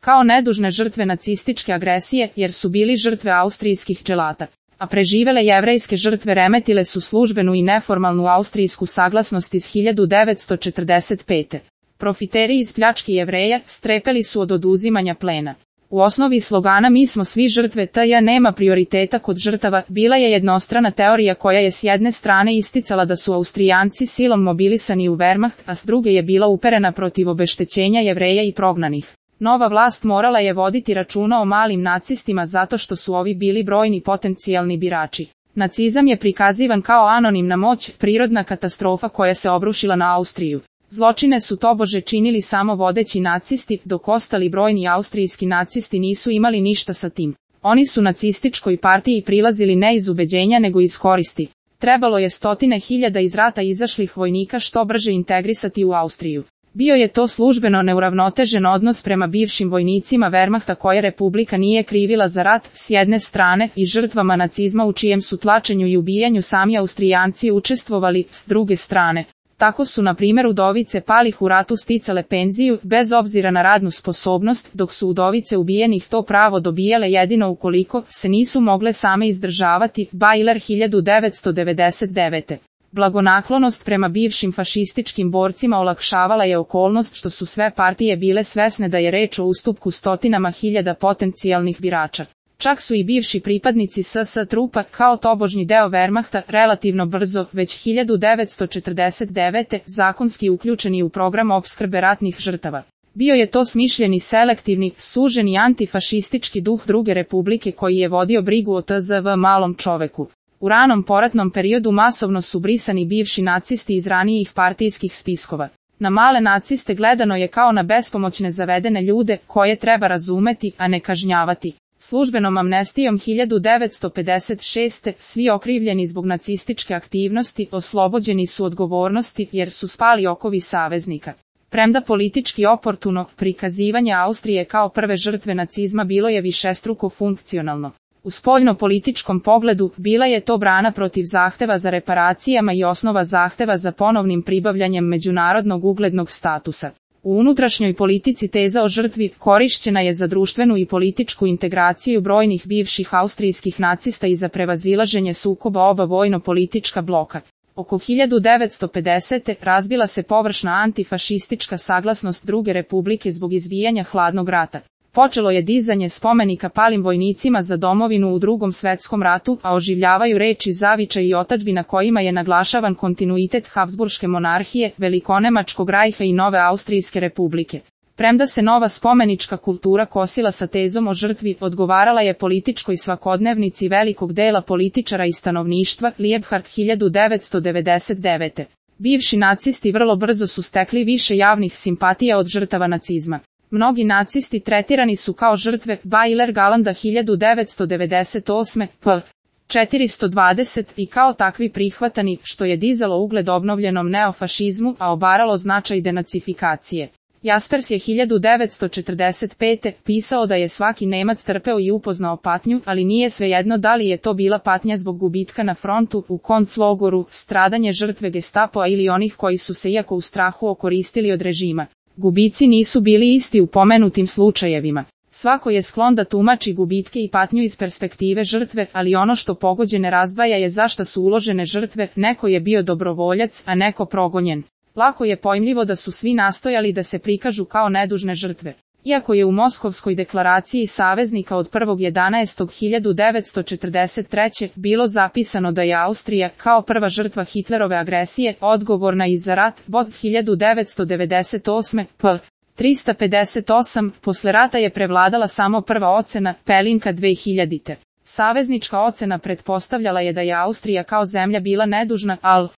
kao nedužne žrtve nacističke agresije jer su bili žrtve austrijskih dželata, a preživele jevrejske žrtve remetile su službenu i neformalnu austrijsku saglasnost iz 1945. Profiteri iz pljački Jevreja strepeli su od oduzimanja plena. U osnovi slogana "Mi smo svi žrtve TJ nema prioriteta kod žrtava" bila je jednostrana teorija koja je s jedne strane isticala da su Austrijanci silom mobilisani u Wehrmacht, a s druge je bila uperena protiv obeštećenja Jevreja i prognanih. Nova vlast morala je voditi računa o malim nacistima zato što su ovi bili brojni potencijalni birači. Nacizam je prikazivan kao anonimna moć, prirodna katastrofa koja se obrušila na Austriju. Zločine su tobože činili samo vodeći nacisti, dok ostali brojni austrijski nacisti nisu imali ništa sa tim. Oni su nacističkoj partiji prilazili ne iz ubeđenja nego iz koristi. Trebalo je stotine hiljada iz rata izašlih vojnika što brže integrisati u Austriju. Bio je to službeno neuravnotežen odnos prema bivšim vojnicima Wehrmachta koje Republika nije krivila za rat, s jedne strane, i žrtvama nacizma u čijem su tlačenju i ubijanju sami Austrijanci učestvovali, s druge strane. Tako su na primjer udovice palih u ratu sticale penziju, bez obzira na radnu sposobnost, dok su udovice ubijenih to pravo dobijale jedino ukoliko se nisu mogle same izdržavati. Bajler 1999. Blagonaklonost prema bivšim fašističkim borcima olakšavala je okolnost što su sve partije bile svesne da je reč o ustupku stotinama hiljada potencijalnih birača. Čak su i bivši pripadnici SS trupa, kao tobožnji deo Wehrmachta, relativno brzo, već 1949. zakonski uključeni u program opskrbe ratnih žrtava. Bio je to smišljeni selektivni, suženi antifašistički duh druge republike koji je vodio brigu o tzv. malom čoveku. U ranom poratnom periodu masovno su brisani bivši nacisti iz ranijih partijskih spiskova. Na male naciste gledano je kao na bespomoćne zavedene ljude, koje treba razumeti, a ne kažnjavati. Službenom amnestijom 1956. svi okrivljeni zbog nacističke aktivnosti oslobođeni su odgovornosti jer su spali okovi saveznika. Premda politički oportuno, prikazivanje Austrije kao prve žrtve nacizma bilo je višestruko funkcionalno. U spoljno-političkom pogledu bila je to brana protiv zahteva za reparacijama i osnova zahteva za ponovnim pribavljanjem međunarodnog uglednog statusa. U unutrašnjoj politici teza o žrtvi korišćena je za društvenu i političku integraciju brojnih bivših austrijskih nacista i za prevazilaženje sukoba oba vojno-politička bloka. Oko 1950. razbila se površna antifašistička saglasnost druge republike zbog izbijanja hladnog rata. Počelo je dizanje spomenika palim vojnicima za domovinu u Drugom svetskom ratu, a oživljavaju reči zavičaj i otadžbina kojima je naglašavan kontinuitet Habsburške monarhije, Velikonemačkog rajha i nove Austrijske republike. Premda se nova spomenička kultura kosila sa tezom o žrtvi, odgovarala je političkoj svakodnevnici velikog dela političara i stanovništva. Liebhardt 1999. Bivši nacisti vrlo brzo su stekli više javnih simpatija od žrtava nacizma. Mnogi nacisti tretirani su kao žrtve. Bajler Galanda 1998. p. 420 i kao takvi prihvatani, što je dizalo ugled obnovljenom neofašizmu, a obaralo značaj denacifikacije. Jaspers je 1945. pisao da je svaki Nemac trpeo i upoznao patnju, ali nije svejedno da li je to bila patnja zbog gubitka na frontu, u konclogoru, stradanje žrtve Gestapoa ili onih koji su se iako u strahu okoristili od režima. Gubici nisu bili isti u pomenutim slučajevima. Svako je sklon da tumači gubitke i patnju iz perspektive žrtve, ali ono što pogođene razdvaja je zašto su uložene žrtve, neko je bio dobrovoljac, a neko progonjen. Lako je pojmljivo da su svi nastojali da se prikažu kao nedužne žrtve. Iako je u Moskovskoj deklaraciji saveznika od 1.11.1943. bilo zapisano da je Austrija, kao prva žrtva Hitlerove agresije, odgovorna i za rat, Boc 1998. p. 358, posle rata je prevladala samo prva ocena, Pelinka 2000. Saveznička ocena pretpostavljala je da je Austrija kao zemlja bila nedužna, ali